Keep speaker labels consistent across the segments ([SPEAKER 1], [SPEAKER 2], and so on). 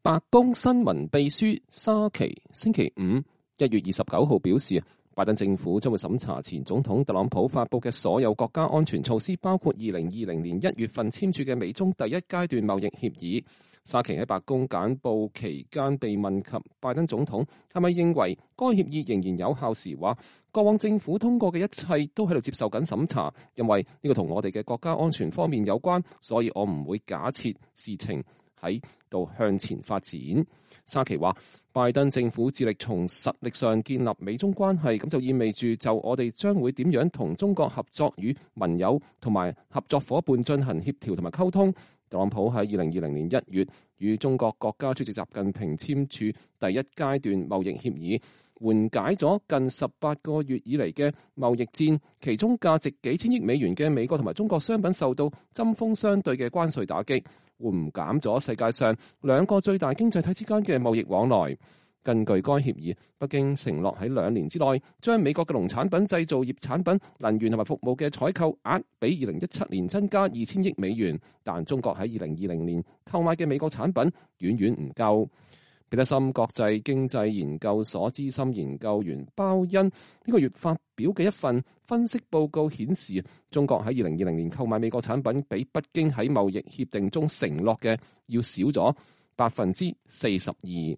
[SPEAKER 1] 白宮新聞秘書沙奇星期5 1月29號表示，拜登政府將會審查前總統特朗普發布嘅所有國家安全措施，包括2020年1月份簽署嘅美中第一階段貿易協議。沙奇喺白宮簡報期間被問及拜登總統係咪認為該協議仍然有效時，話過往政府通過嘅一切都喺度接受緊審查，因為呢個同我哋嘅國家安全方面有關，所以我唔會假設事情喺度向前發展。沙奇話，拜登政府致力從實力上建立美中關係，咁就意味住就我哋將會點樣同中國合作，與盟友同埋合作夥伴進行協調同埋溝通。特朗普喺2020年1月與中國國家主席習近平簽署第一階段貿易協議，緩解咗近18個月以嚟嘅貿易戰，其中價值幾千億美元嘅美國同埋中國商品受到針鋒相對嘅關稅打擊，緩減咗世界上兩個最大經濟體之間嘅貿易往來。根據該協議，北京承諾喺2年之內將美國嘅農產品、製造業產品、能源同埋服務嘅採購額比2017年增加2000億美元，但中國喺2020年購買嘅美國產品遠遠唔夠。彼得森國際經濟研究所資深研究員鮑恩呢個月發表嘅一份分析報告顯示，中國喺2020年購買美國產品比北京喺貿易協定中承諾嘅要少咗42%。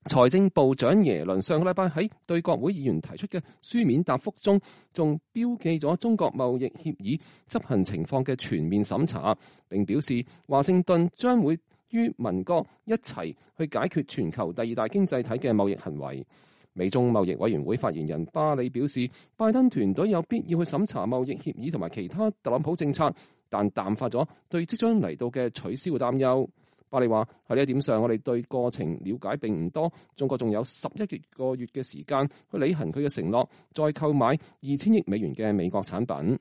[SPEAKER 1] 財政部長耶倫上個禮拜喺對國會議員提出嘅書面答覆中，仲標記咗中國貿易協議執行情況嘅全面審查，並表示華盛頓將會與盟國一齊去解決全球第二大經濟體嘅貿易行為。美中貿易委員會發言人巴里表示，拜登團隊有必要去審查貿易協議同埋其他特朗普政策，但淡化咗對即將嚟到嘅取消嘅擔憂。巴里話喺呢一點上，我哋對過程了解並唔多。中國仲有11個月嘅時間去履行佢嘅承諾，再購買2000億美元嘅美國產品。